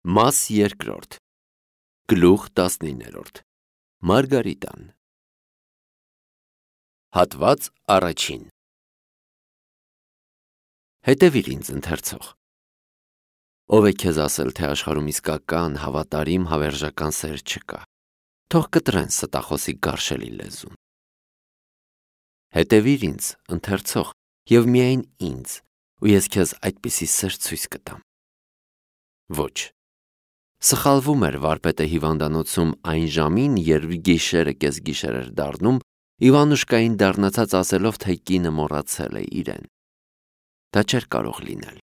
Մաս երկրորդ Գլուխ 19 Մարգարիտան Հատված առաջին Հետևիր ինձ ընթերցող Ով է քեզ ասել, թե աշխարհում իսկական, հավատարիմ, հավերժական սեր չկա, թող կտրեն ստախոսի գարշելի լեզուն։ Հետևիր ինձ ընթերցող և միայն ինձ, ու ես քեզ այդպիսի սեր ցույց կտամ։ Ոչ Սխալվում էր վարպետը հիվանդանոցում այն ժամին, երբ գիշերը կեսգիշեր էր դառնում, Իվանուշկային դառնացած ասելով, թե կինը մոռացել է իրեն։ Դա չէր կարող լինել։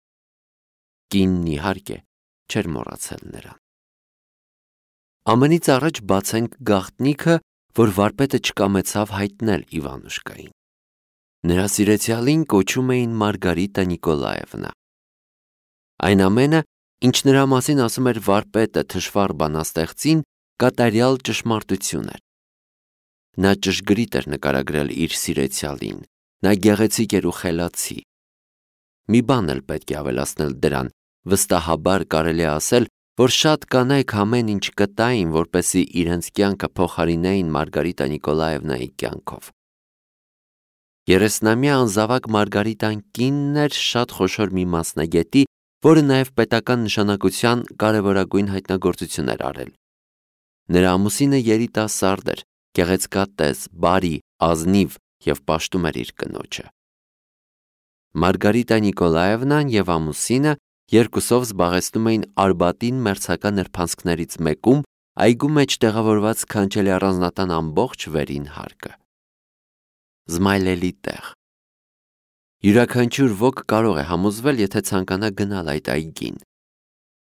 Կինն իհարկե չէր մոռացել նրան։ Ամենից առաջ բացենք գաղտնիքը, որ վարպետը չկամեցավ հայտնել Իվանուշկային։ Նրա սիրեցյալին կոչում էին Մարգարիտա Նիկոլաևնա։ Այն ամենը, ինչ նրա մասին ասում էր վարպետը թշվառ բանաստեղծին, կատարյալ ճշմարտություն էր։ Նա ճշգրիտ էր նկարագրել իր սիրեցյալին, նա գեղեցիկ էր ու խելացի։ Մի բան էլ պետք է ավելացնել դրան, վստահաբար կարելի է ասել, որ շատ կանայք ամեն ինչ կտային, որպեսզի իրենց կյանքը փոխարինեին Մարգարիտա Նիկոլաևնայի կյանքով։ 30-ամյա անզավակ Մարգարիտան կինն էր շատ խոշոր մի մասնագետի, որը նաև պետական նշանակության կարևորագույն հայտնագործություն էր արել։ Նրա ամուսինը երիտասարդ էր, գեղեցկատես, բարի, ազնիվ և պաշտում էր իր կնոջը։ Մարգարիտա Նիկոլաևնան և ամուսինը երկուսով զբաղեցնում էին Արբատին մերձակա նրբանցքներից մեկում, այգու մեջ տեղավորված քանչելի առանձնատան ամբողջ վերին հարկը։ Զմայլելի տեղ։ Յուրաքանչյուր ոք կարող է համոզվել, եթե ցանկանա գնալ այդ այգին։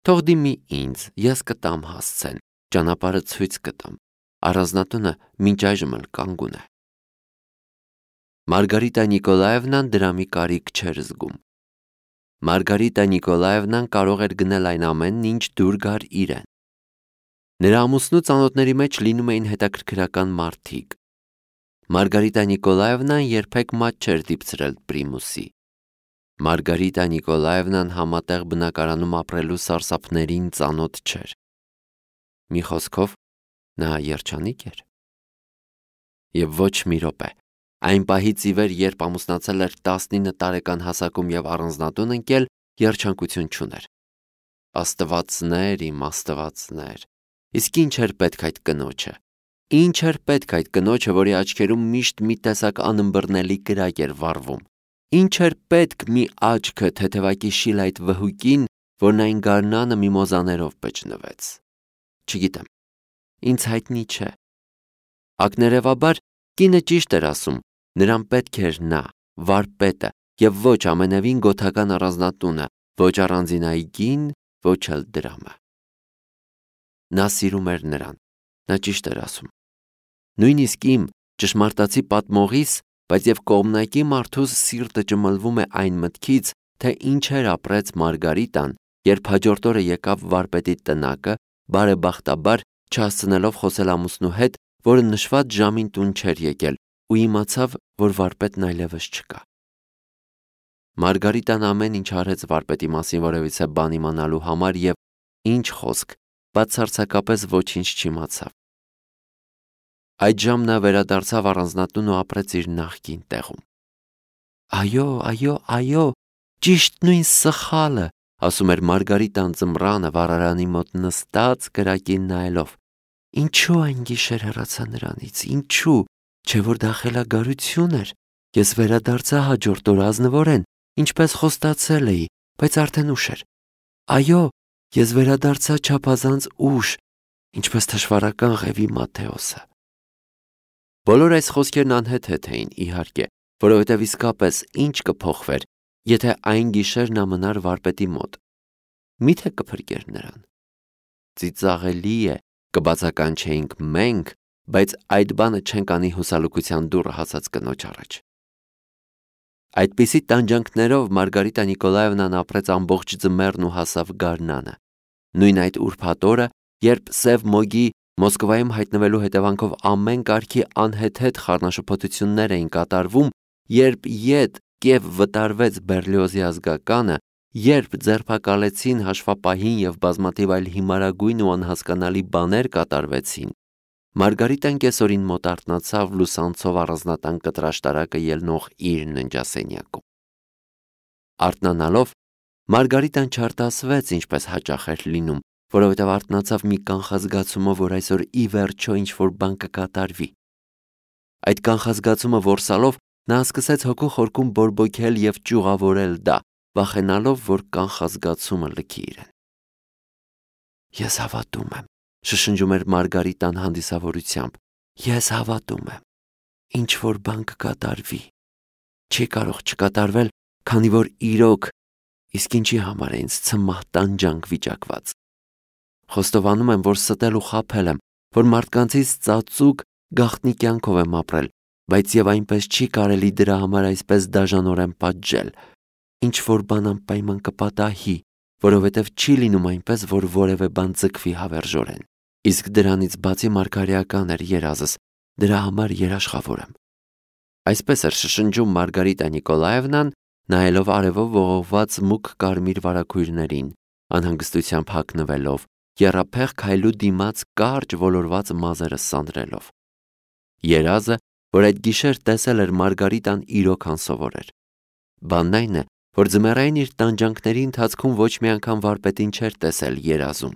Թող դիմի ինձ, ես կտամ հասցեն, ճանապարհը ցույց կտամ, առանձնատունը մինչ այժմ էլ կանգուն է։ Մարգարիտա Նիկոլաևնան դրա մի կարիք չէր զգում։ Մարգարիտա Նիկոլաևնան կարող էր գնել այն ամենն, ինչ դուր գար իրեն։ Նրա ամուսնու ծանոթների մեջ լինում էին հետաքրքրական մարդիկ։ Մարգարիտա Նիկոլաևնան երբեք մատ չէր դիպցրել պրիմուսի։ Մարգարիտա Նիկոլաևնան համատեղ բնակարանում ապրելու սարսափներին ծանոթ չէր։ Մի խոսքով, նա երջանիկ էր։ Եվ ոչ մի րոպե, այն պահից ի վեր, երբ ամուսնացել էր 19 տարեկան հասակում և առանձնատուն ընկել, երջանկություն չուներ։ Աստվածներ իմ աստվածներ, իսկ ինչ էր պետք այդ կնոջը։ Ինչ էր պետք այդ կնոջը, որի աչքերում միշտ մի տեսակ անըմբռնելի կրակ էր վառվում։ Ինչ էր պետք մի աչքը թեթևակի շիլ այդ վհուկին, որն այն գարնանը միմոզաներով բջնվեց։ Չգիտեմ, ինձ հայտնի չէ։ Ակներևաբար կինը ճիշտ էր ասում, նրան պետք էր նա, վարպետը, և ոչ ամենևին գոթական առանձնատունը, ոչ առանձին այգին, ոչ էլ դրամը։ Նա սիրում էր նրան, նա ճիշտ էր ասում։ Նույնիսկ իմ ճշմարտացի պատմողիս, բայց և կողմնակի մարդուս սիրտը ճմլվում է այն մտքից, թե ինչեր ապրեց Մարգարիտան, երբ հաջորդ օրը եկավ վարպետի տնակը, բարեբախտաբար չհասցնելով խոսել ամուսնու հետ, որը նշված ժամին տուն չէր եկել, ու իմացավ, որ վարպետն այլևս չկա։ Մարգարիտան ամեն ինչ արեց վարպետի մասին որևիցե բան իմանալու համար և, ինչ խոսք, բացարձակապես ոչինչ չիմացավ։ Այդժամ նա վերադարձավ առանձնատուն ու ապրեց իր նախկին տեղում։ Այո, ճիշտ նույն սխալը, ասում էր Մարգարիտան ձմռանը վառարանի մոտ նստած կրակին նայելով։ Ինչու այն գիշեր հեռացա նրանից, ինչու, չէ որ դա խելագարություն էր։ Ես վերադարձա հաջորդ օր ազնվորեն, ինչպես խոստացել էի, բայց արդեն ուշ էր։ Այո, ես վերադարձա չափազանց ուշ, ինչպես թշվառական Ղևի Մատթեոսը։ Բոլոր այս խոսքերն անհեթեթ էին, իհարկե, որովհետև իսկապես ինչ կփոխվեր, եթե այն գիշեր նա մնար վարպետի մոտ։ Միթե կփրկեր նրան։ Ծիծաղելի է, կբացականչեինք մենք, բայց այդ բանը չենք անի հուսալուկության դուռը հասած կնոջ առաջ։ Այդպիսի տանջանքներով Մարգարիտա Նիկոլաևնան ապրեց ամբողջ ձմեռն ու հասավ գարնանը։ Նույն այդ ուրբաթ օրը, երբ Սև Մոգի Մոսկվայում հայտնվելու հետևանքով ամեն կարգի անհեթեթ խառնաշփոթություններ էին կատարվում, երբ ետ Կիև վտարվեց Բերլիոզի ազգականը, երբ ձերբակալեցին հաշվապահին և բազմաթիվ այլ հիմարագույն ու անհասկանալի բաներ կատարվեցին, Մարգարիտան կեսօրին մոտ արթնացավ լուսանցով առանձնատան կտրաշտարակը ելնող իր ննջասենյակում։ Արթնանալով, Մարգարիտան չարտասվեց, ինչպես հաճախ էր լինում, որովհետև արթնացավ մի կանխազգացումով, որ այսօր ի վերջո ինչ-որ բան կկատարվի։ Այդ կանխազգացումը որսալով, նա սկսեց հոգու խորքում բորբոքել և ճյուղավորել դա, վախենալով, որ կանխազգացումը լքի իրեն։ Ես հավատում եմ, շշնջում էր Մարգարիտան հանդիսավորությամբ, ես հավատում եմ, ինչ-որ բան կկատարվի։ Չի կարող չկատարվել, քանի որ իրոք, իսկ ինչի համար է ինձ ցմահ տանջանք վիճակված։ Խոստովանում եմ, որ ստել ու խաբել եմ, որ մարդկանցից ծածուկ գաղտնի կյանքով եմ ապրել, բայց եւ այնպես չի կարելի դրա համար այսպես դաժանորեն պատժել։ Ինչ-որ բան անպայման կպատահի, որովհետև չի լինում այնպես, որ որևէ բան ձգվի հավերժորեն։ Իսկ դրանից բացի մարգարեական էր երազս, դրա համար երաշխավոր եմ։ Այսպես էր շշնջում Մարգարիտա Նիկոլաևնան, նայելով արևով ողողված մուգ կարմիր վարագույրներին, անհանգստությամբ հագնվելով, եռափեղ քայլու դիմաց կարճ ոլորված մազերը սանրելով։ Երազը, որ այդ գիշեր տեսել էր Մարգարիտան, իրոք անսովոր էր։ Բանն այն է, որ ձմեռային իր տանջանքների ընթացքում ոչ մի անգամ վարպետին չէր տեսել երազում։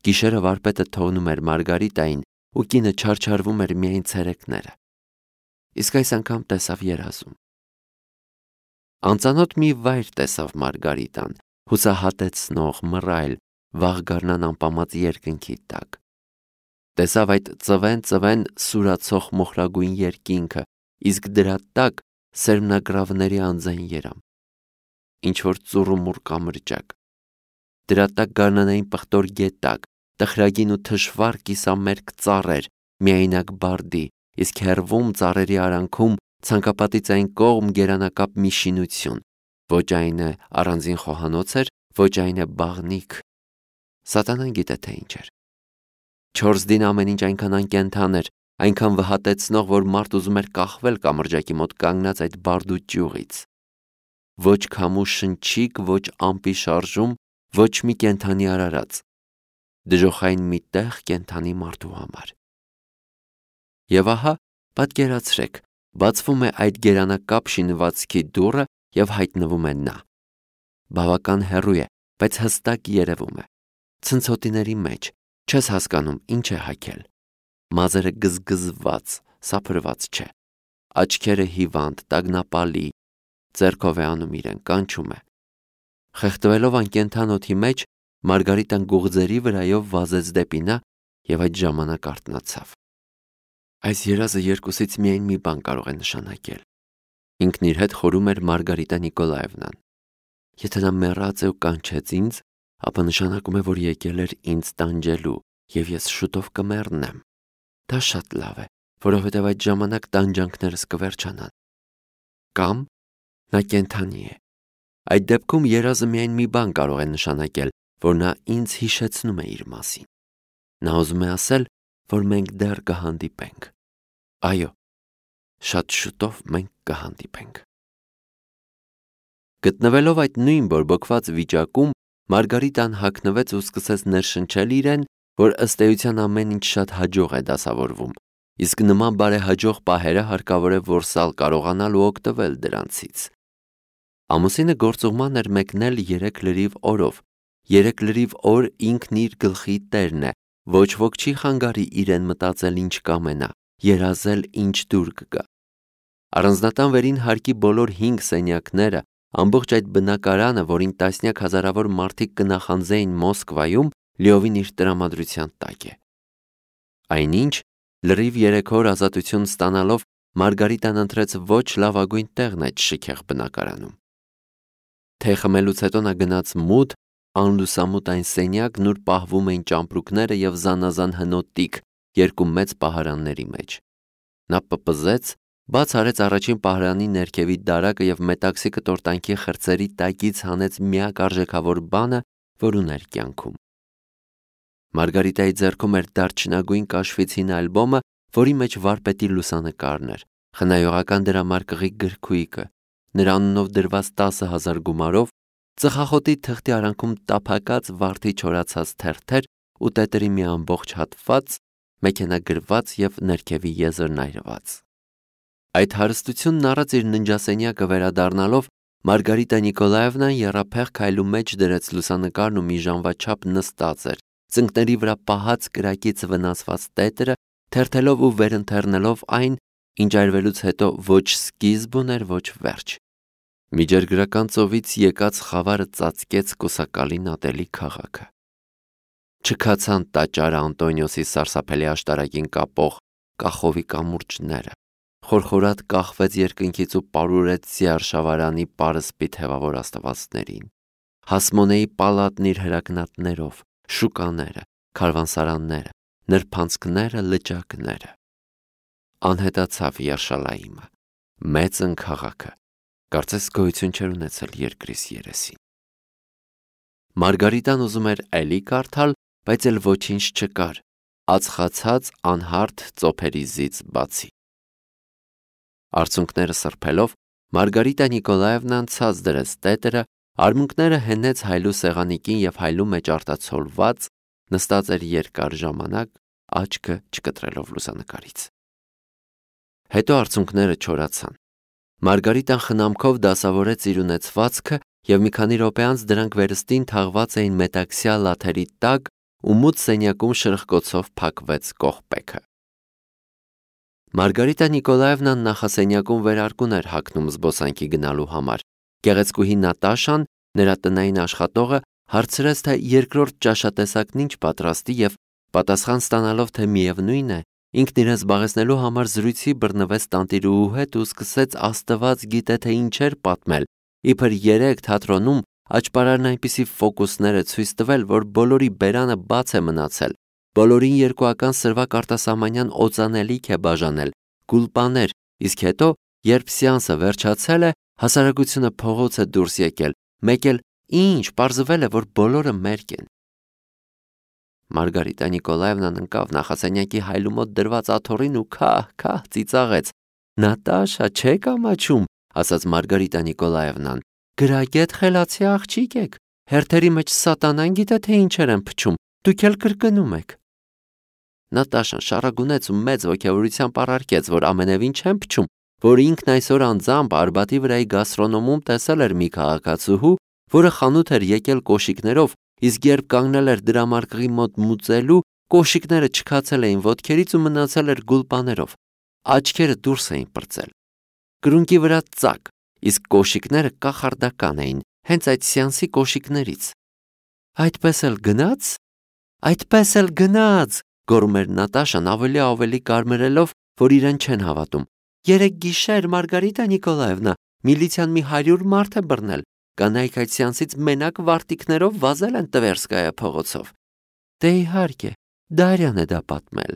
Գիշերը վարպետը թողնում էր Մարգարիտային ու կինը չարչարվում էր միայն ցերեկները։ Իսկ այս անգամ տեսավ երազում։ Անծանոթ մի վայր տեսավ Մարգարիտան, հուսահատեցնող, մռայլ, վաղ գարնան անպամած երկնքի տակ։ Տեսավ այդ ծվեն սուրացող մոխրագույն երկինքը, իսկ դրա տակ սերմնագրավների անձայն երամ։ Ինչ-որ ծուռումուռ կամրջակ։ Դրա տակ գարնանային պղտոր գետակ, տխրագին ու թշվառ կիսամերկ ծառեր, միայնակ բարդի, իսկ հեռվում ծառերի արանքում ցանկապատից այն կողմ գերանակապ մի շինություն, ոչ այն է առանձին խոհանոց էր, ոչ այն է բաղնիք։ Սատանան գիտե թե ինչ էր։ 4 դին ամեն ինչ այնքան անկենդան էր, այնքան վհատեցնող, որ մարդ ուզում էր կախվել կամրջակի մոտ կանգնած այդ բարդու ճյուղից։ Ոչ քամու շնչիկ, ոչ ամպի շարժում, ոչ մի կենդանի արարած։ Դժոխային մի տեղ կենդանի մարդու համար։ Եվ ահա, պատկերացրեք, բացվում է այդ գերանակապ շինվածքի դուռը և հայտնվում է նա։ Բավական հեռու է, բայց հստակ երևում է։ Ցնցոտիների մեջ, չես հասկանում ինչ է հագել։ Մազերը գզգզված, սափրված չէ։ Աչքերը հիվանդ, տագնապալի, ձեռքով է անում իրեն, կանչում է։ Խեղդվելով անկենդան օդի մեջ, Մարգարիտան գուղձերի վրայով վազեց դեպի նա և այդ ժամանակ արթնացավ։ Այս երազը երկուսից միայն մի բան կարող է նշանակել։ Ինքն իր հետ խորում էր Մարգարիտա Նիկոլաևնան։ Եթե նա մեռած է ու կանչեց ինձ, ապա նշանակում է, որ եկել էր ինձ տանջելու, և ես շուտով կմեռնեմ։ Դա շատ լավ է, որովհետև այդ ժամանակ տանջանքներս կվերջանան։ Կամ նա կենդանի է։ Այդ դեպքում երազը միայն մի բան կարող է նշանակել, որ նա ինձ հիշեցնում է իր մասին։ Նա ուզում է ասել, որ մենք դեռ կհանդիպենք։ Այո, շատ շուտով մենք կհանդիպենք։ Գտնվելով այդ նույն բորբոքված վիճակում, Մարգարիտան հագնվեց ու սկսեց ներշնչել իրեն, որ ըստ էության ամեն ինչ շատ հաջող է դասավորվում, իսկ նման բարեհաջող պահերը հարկավոր է որսալ կարողանալ ու օգտվել դրանցից։ Ամուսինը գործուղման էր մեկնել 3 լրիվ օրով։ 3 լրիվ օր ինքն իր գլխի տերն է, ոչ ոք չի խանգարի իրեն մտածել ինչ կամենա, երազել ինչ դուր կգա։ Առանձնատան վերին հարկի բոլոր 5 սենյակները, ամբողջ այդ բնակարանը, որին տասնյակ հազարավոր մարդիկ կնախանձեին Մոսկվայում, լիովին իր տրամադրության տակ է։ Այնինչ, լրիվ 3 օր ազատություն ստանալով, Մարգարիտան ընտրեց ոչ լավագույն տեղն այդ շքեղ բնակարանում։ Թե խմելուց հետո նա գնաց մութ, անլուսամուտ այն սենյակն, ուր պահվում էին ճամպրուկները և զանազան հնոտիկ 2 մեծ պահարանների մեջ։ Նա պպզեց, բաց արեց առաջին պահարանի ներքևի դարակը և մետաքսի կտորտանքի խրձերի տակից հանեց միակ արժեքավոր բանը, որ ուներ կյանքում։ Մարգարիտայի ձեռքում էր դարչնագույն կաշվից հին ալբոմը, որի մեջ վարպետի լուսանկարն էր, խնայողական դրամարկղի գրքույկը, նրա անունով դրված 10,000 գումարով, ծխախոտի թղթի արանքում տափակած վարդի չորացած թերթեր ու տետերի մի ամբողջ հատված, մեքենագրված և ներքևի եզրն այրված։ Այդ հարստությունն առած իր ննջասենյակը վերադառնալով Մարգարիտա Նիկոլաևնան եռափեղ քայլու մեջ դրեց լուսանկարն ու մի ժամվա չափ նստած էր, ծնկների վրա պահած կրակից վնասված տետրը, թերթելով ու վերընթեռնելով այն, ինչ այրվելուց հետո ոչ սկիզբ ուներ, ոչ վերջ։ Միջերգրական ծովից եկած խավարը ծածկեց կուսակալին ատելի քաղաքը։ Չքացան տաճարը Անտոնիոսի սարսափելի աշտարակին կապող կախովի կամուրջները, խորխորատ կախվեց երկնքից ու պարուրեց Զիարշավարանի պարսպի թևավոր աստվածներին, Հասմոնեի պալատն իր հրակնատներով, շուկաները, քարվանսարանները, նրբանցքները, լճակները։ Անհետացավ Յերշալայիմը, մեծն քաղաքը, կարծես գոյություն չէր ունեցել երկրիս երեսին։ Մարգարիտան ուզում էր էլի կարդալ, բայց էլ ոչինչ չկար, ածխացած անհարթ ծոփերի զից բացի։ Արցունքները սրբելով, Մարգարիտա Նիկոլաևնան ցած դրեց տետրը, արմունկները հենեց հայլու սեղանիկին և հայլու մեջ արտացոլված, նստած էր երկար ժամանակ, աչքը չկտրելով լուսանկարից։ Հետո արցունքները չորացան։ Մարգարիտան խնամքով դասավորեց իր ունեցվածքը և մի քանի րոպե անց դրանք վերստին թաղված էին մետաքսյա լաթերի տակ ու մութ սենյակում շրխկոցով փակվեց կողպեքը։ Մարգարիտա Նիկոլաևնան նախասենյակում վերարկուն էր հագնում զբոսանքի գնալու համար։ Գեղեցկուհի Նատաշան, նրա տնային աշխատողը, հարցրեց, թե երկրորդ ճաշատեսակն ինչ պատրաստի և պատասխան ստանալով, թե միևնույն է, ինքն իրեն զբաղեցնելու համար զրույցի բռնվեց տանտիրուհու հետ ու սկսեց Աստված գիտե թե ինչեր պատմել, իբր երեկ թատրոնում աճպարարն այնպիսի ֆոկուսներ է ցույց տվել, որ բոլորի բերանը բաց է մնացել, բոլորին երկուական սրվակ արտասահմանյան օծանելիք է բաժանել, գուլպաներ, իսկ հետո, երբ սեանսը վերջացել է, հասարակությունը փողոց է դուրս եկել, մեկ էլ ինչ, պարզվել է, որ բոլորը մերկ են։ Մարգարիտա Նիկոլաևնան ընկավ նախասենյակի հայլու մոտ դրված աթոռին ու քահ ծիծաղեց։ Նատաշա, չեք ամաչում, ասաց Մարգարիտա Նիկոլաևնան, գրագետ խելացի աղջիկ եք, հերթերի մեջ սատանան գիտե թե ինչեր են փչում, դուք էլ կրկնում եք։ Նատաշան շառագունեց ու մեծ ոգևորությամբ առարկեց, որ ամենևին չեն փչում, որ ինքն այսօր անձամբ Արբատի վրայի գաստրոնոմում տեսել էր մի քաղաքացուհու, որը խանութ էր եկել կոշիկներով, իսկ երբ կանգնել էր դրամարկղի մոտ մուծելու, կոշիկները չքացել էին ոտքերից ու մնացել էր գուլպաներով, աչքերը դուրս էին պրծել, կրունկի վրա ծակ, իսկ կոշիկները կախարդական էին, հենց այդ սեանսի կոշիկներից։ Այդպես էլ գնաց, գոռում էր Նատաշան ավելի կարմրելով, որ իրեն չեն հավատում։ Երեկ գիշեր Մարգարիտա Նիկոլաևնա, միլիցիան մի 100 մարդ է բռնել, կանայք այդ սեանսից մենակ վարտիքներով վազել են Տվերսկայա փողոցով։ Դե իհարկե, Դարյան է դա պատմել,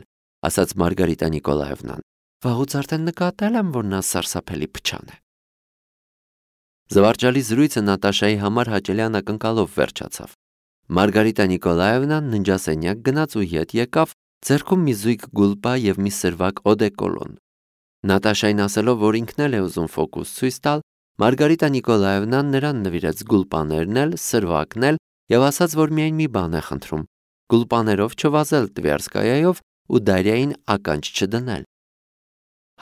ասաց Մարգարիտա Նիկոլաևնան։ Վաղուց արդեն նկատել եմ, որ նա սարսափելի փչան է։ Զվարճալի զրույցը Նատաշայի համար հաճելի անակնկալով վերջացավ։ Մարգարիտա Նիկոլաևնան ննջասենյակ գնաց ու ետ եկավ, ձեռքում մի զույգ գուլպա և մի սրվակ օդեկոլոն։ Նատաշային ասելով, որ ինքն էլ է ուզում ֆոկուս ցույց տալ, Մարգարիտա Նիկոլաևնան նրան նվիրեց գուլպաներն էլ, սրվակն էլ և ասաց, որ միայն մի բան է խնդրում՝ գուլպաներով չվազել Տվերսկայայով ու Դարյային ականջ չդնել։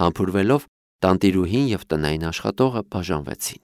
Համբուրվելով, տանտիրուհին և տնային աշխատողը բաժանվեցին։